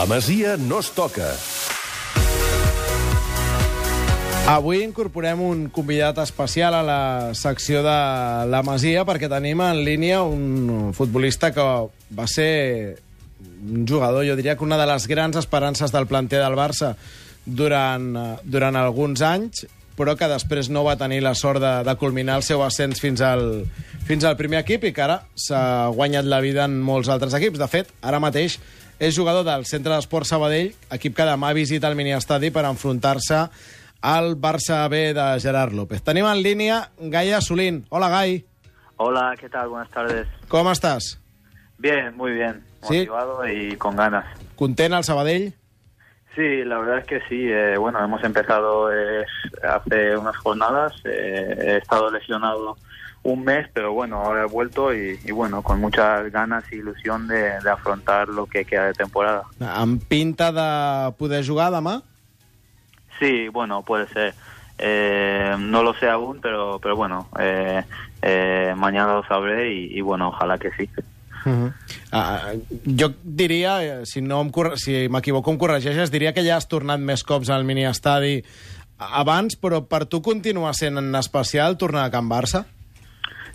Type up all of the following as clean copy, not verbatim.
La Masia no es toca. Avui incorporem un convidat especial a la secció de La Masia perquè tenim en línia un futbolista que va ser un jugador, jo diria que una de les grans esperances del planter del Barça durant alguns anys, però que després no va tenir la sort de culminar el seu ascens fins al primer equip i que ara s'ha guanyat la vida en molts altres equips. De fet, ara mateix és jugador del Centre d'Esports Sabadell, equip que demà visita el miniestadi per enfrontar-se al Barça B de Gerard López. Tenim en línia Gai Asulín. Hola, Gai. Hola, ¿qué tal? Buenas tardes. ¿Cómo estás? Bien, muy bien. ¿Sí? Motivado y con ganas. ¿Content al Sabadell? Sí, la verdad es que sí. Bueno, hemos empezado hace unas jornadas. He estado lesionado un mes, pero bueno, ahora he vuelto y bueno, con muchas ganas e ilusión de afrontar lo que queda de temporada. Amb pinta de poder jugar demà? Sí, bueno, puede ser. No lo sé aún, pero bueno, mañana lo sabré y bueno, ojalá que sí. Jo diria, si m'equivoco em corregeixes, diria que ja has tornat més cops al miniestadi abans, però per tu continua sent en especial tornar a Can Barça?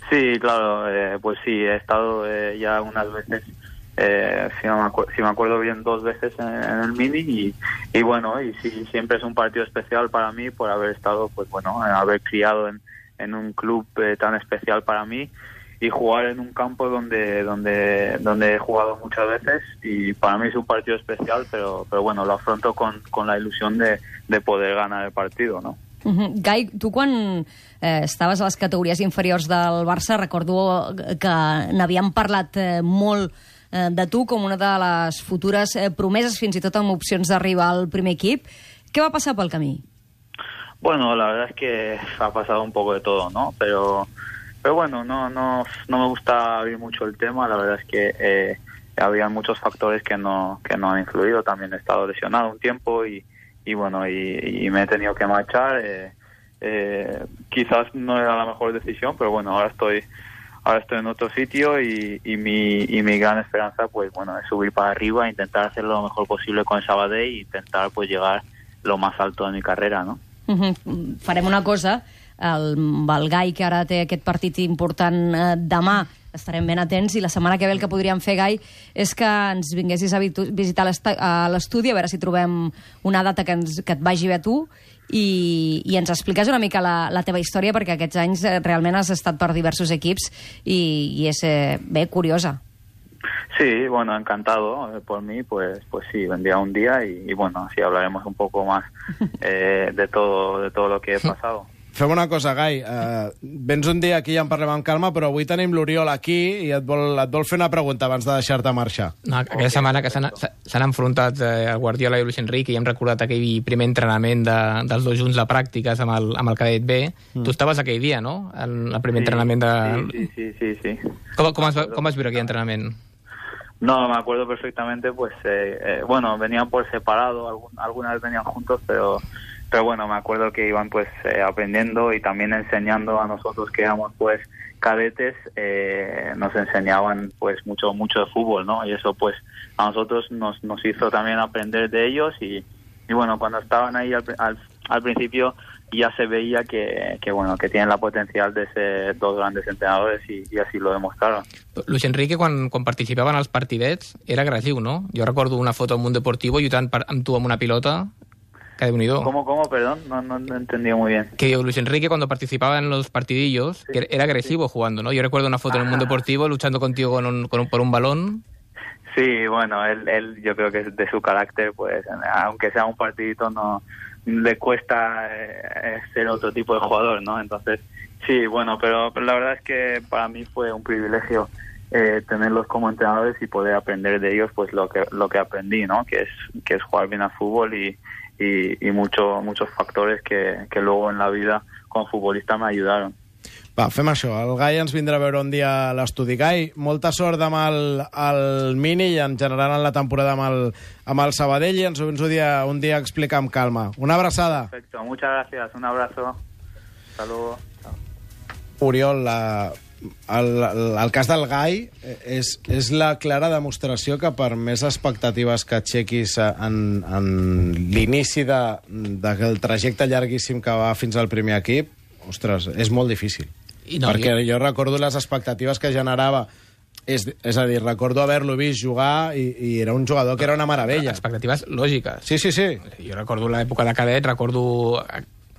Sí, claro, pues sí, he estado ya unas veces, si me acuerdo bien, 2 veces en el Mini y bueno, y sí, siempre es un partido especial para mí por haber estado, pues bueno, haber criado en un club tan especial para mí y jugar en un campo donde he jugado muchas veces y para mí es un partido especial, pero bueno, lo afronto con la ilusión de poder ganar el partido, ¿no? Gai, tu quan estaves a les categories inferiors del Barça, recordo que n'havíem parlat molt de tu com una de les futures promeses, fins i tot amb opcions d'arribar al primer equip. Què va passar pel camí? Bueno, la verdad es que ha pasado un poco de todo, ¿no? Pero bueno, no me gusta abrir mucho el tema. La verdad es que había muchos factores que no han influido. También he estado lesionado un tiempo y bueno, y me he tenido que marchar. Quizás no era la mejor decisión, pero bueno, ahora estoy en otro sitio y mi gran esperanza, pues bueno, es subir para arriba, intentar hacer lo mejor posible con el Sabadell e intentar pues llegar lo más alto de mi carrera, ¿no? Farem una cosa, el Gai, que ara té aquest partit important demà, estarem ben atents, i la setmana que ve el que podríem fer, Gai, és que ens vinguessis a visitar l'estudi, a veure si trobem una data que et vagi bé a tu i ens expliques una mica la teva història, perquè aquests anys realment has estat per diversos equips i és bé curiosa. Sí, bueno, encantado por mí, pues sí, vendría un día y bueno, así hablaremos un poco más de todo lo que he pasado. Fem una cosa, Gai. Vens un dia aquí i en parlem amb calma, però avui tenim l'Oriol aquí i et vol fer una pregunta abans de deixar-te marxar. No, aquella setmana que s'han enfrontat el Guardiola i Luis Enrique i hem recordat aquell primer entrenament dels dos junts a pràctiques amb el cadet B. Tu estaves aquell dia, no? En el primer entrenament de... Sí. Com vas viure aquell entrenament? No, me acuerdo perfectamente, pues bueno, venían por separado, algunas venían juntos, pero bueno, me acuerdo que iban pues aprendiendo y también enseñando a nosotros que éramos pues cadetes, nos enseñaban pues mucho de fútbol, ¿no? Y eso pues a nosotros nos hizo también aprender de ellos y bueno, cuando estaban ahí al principio ya se veía que bueno, que tienen la potencial de ser 2 grandes entrenadores y así lo demostraron. Luis Enrique, quan participava en els partidets, era agressiu, no? Jo recordo una foto al Mundo Deportivo lluitant amb tu amb una pilota. Que Déu-n'hi-do. ¿Cómo? Perdón, no entendí muy bien. Que Luis Enrique, cuando participaba en los partidillos, sí, era agresivo jugando, ¿no? Yo recuerdo una foto en el Mundo Deportivo luchando contigo por un balón. Sí, bueno, él yo creo que de su carácter, pues, aunque sea un partidito, no le cuesta ser otro tipo de jugador, ¿no? Entonces, sí, bueno, pero la verdad es que para mí fue un privilegio tenerlos como entrenadores y poder aprender de ellos, pues lo que aprendí, ¿no? Que es jugar bien al fútbol y muchos factores que luego en la vida com a futbolista m'ajudaron. Va, fem això. El Gai ens vindrà a veure un dia a l'estudi. Gai, molta sort demà al Mini i en general en la temporada amb el Sabadell i ens ho un dia explicar amb calma. Una abraçada. Perfecto, muchas gracias. Un abrazo. Hasta luego. Oriol, el cas del Gai és la clara demostració que per més expectatives que aixequis en l'inici del trajecte llarguíssim que va fins al primer equip, ostres, és molt difícil. Perquè jo recordo les expectatives que generava. És a dir, recordo haver-lo vist jugar i era un jugador que era una meravella. Expectatives lògiques. Sí. Jo recordo l'època de cadet, recordo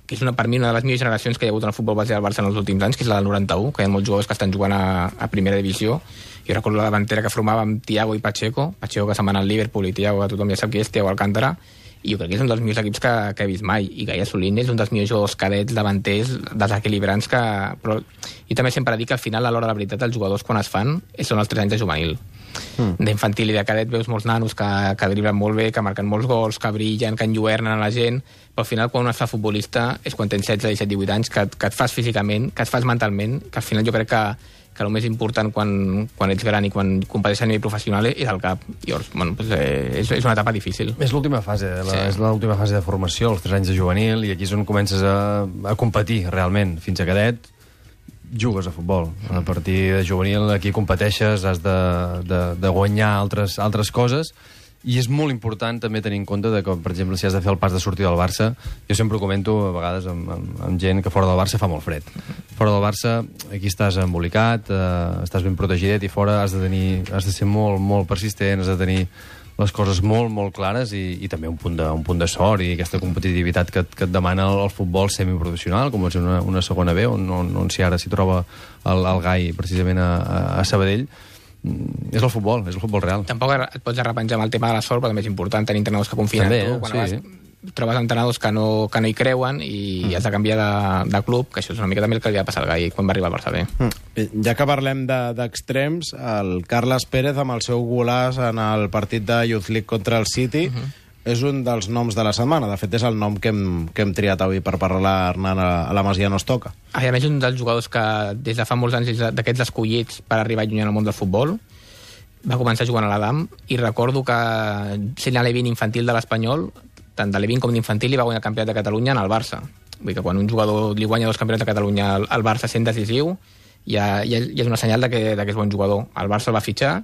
que és per mi una de les millors generacions que hi ha hagut en el futbol base del Barça en els últims anys, que és la del 91, que hi ha molts jugadors que estan jugant a primera divisió. Jo recordo la davantera que formava amb Thiago i Pacheco que se'n va anar al Liverpool, i Thiago, tothom ja sap qui és, Thiago Alcántara, i jo crec que és un dels millors equips que he vist mai. I Gai Assolín és un dels millors jugadors cadets, davanters, desequilibrants però jo també sempre dic que al final, a l'hora de la veritat, els jugadors quan es fan són els 3 anys de juvenil. D'infantil i de cadet veus molts nanos que driblen molt bé, que marquen molts gols, que brillen, que enlluernen a la gent, però al final quan un es fa futbolista és quan tens 16, 17, 18 anys, que et fas físicament, que et fas mentalment, que al final jo crec que el més important quan ets gran i quan competeixes a nivell professional és el cap. Llavors, bueno, pues, és una etapa difícil. És l'última fase, és l'última fase de formació, els 3 anys de juvenil, i aquí és on comences a competir realment. Fins a cadet jugues a futbol. A partir de juvenil aquí competeixes, has de guanyar altres coses, i és molt important també tenir en compte que, per exemple, si has de fer el pas de sortir del Barça, jo sempre ho comento a vegades amb gent que fora del Barça fa molt fred. Fora del Barça, aquí estàs embolicat, estàs ben protegidet, i fora has de ser molt, molt persistent, has de tenir les coses molt, molt clares, i també un punt de sort i aquesta competitivitat que et demana el futbol semiprofessional, com és una segona B, on si ara s'hi troba el Gai precisament a Sabadell. És el futbol real. Tampoc et pots arrepenjar amb el tema de la sort, però també és important tenir entrenadors que confien en tu. Quan trobes entrenadors que no hi creuen i has de canviar de club, que això és una mica també el que li va passar al Gai quan va arribar al Barça B. Ja que parlem d'extrems, el Carles Pérez, amb el seu golàs en el partit de Youth League contra el City, és un dels noms de la setmana. De fet, és el nom que hem triat avui per parlar-ne a la Masia No es toca. A més, un dels jugadors que des de fa molts anys és d'aquests escollits per arribar lluny en el món del futbol. Va començar jugant a l'Adam, i recordo que sent a l'E20 infantil de l'Espanyol, tant de l'E20 com d'infantil, li va guanyar el campionat de Catalunya en el Barça. Vull dir que quan un jugador li guanya 2 campionats de Catalunya al Barça sent decisiu, ja és una senyal que és bon jugador. El Barça el va fitxar,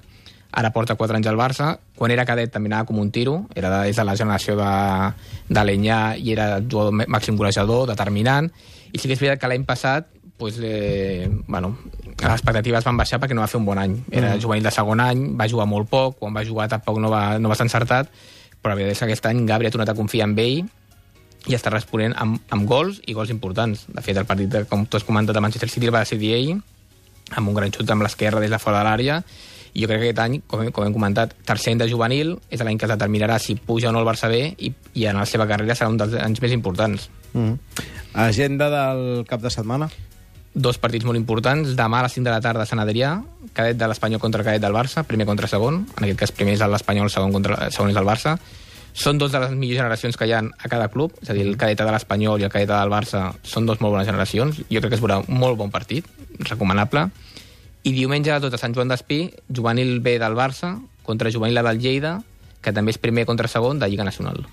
ara porta 4 anys al Barça. Quan era cadet també anava com un tiro, és de la generació de l'Enyà, i era jugador màxim golejador, determinant, i sí que és veritat que l'any passat les expectatives van baixar perquè no va fer un bon any. Era juvenil de segon any, va jugar molt poc, quan va jugar tampoc no va ser encertat, però la veritat és que aquest any Gabri ha tornat a confiar en ell i està responent amb gols, i gols importants. De fet, el partit, com tu has comentat, de Manchester City el va decidir ell, amb un gran xut amb l'esquerra des de fora de l'àrea. I jo crec que aquest any, com hem comentat, tercer any de juvenil, és l'any que es determinarà si puja o no el Barça B, i en la seva carrera serà un dels anys més importants. Agenda del cap de setmana? 2 partits molt importants. Demà a les 5 de la tarda a Sant Adrià, cadet de l'Espanyol contra cadet del Barça, primer contra segon. En aquest cas, primer és l'Espanyol, segon és el Barça. Són 2 de les millors generacions que hi ha a cada club, és a dir, el cadet de l'Espanyol i el cadet del Barça són 2 molt bones generacions. Jo crec que es veurà un molt bon partit, recomanable. I diumenge a tot a Sant Joan d'Espí, juvenil B del Barça contra juvenil A del Lleida, que també és primer contra segon de Lliga Nacional.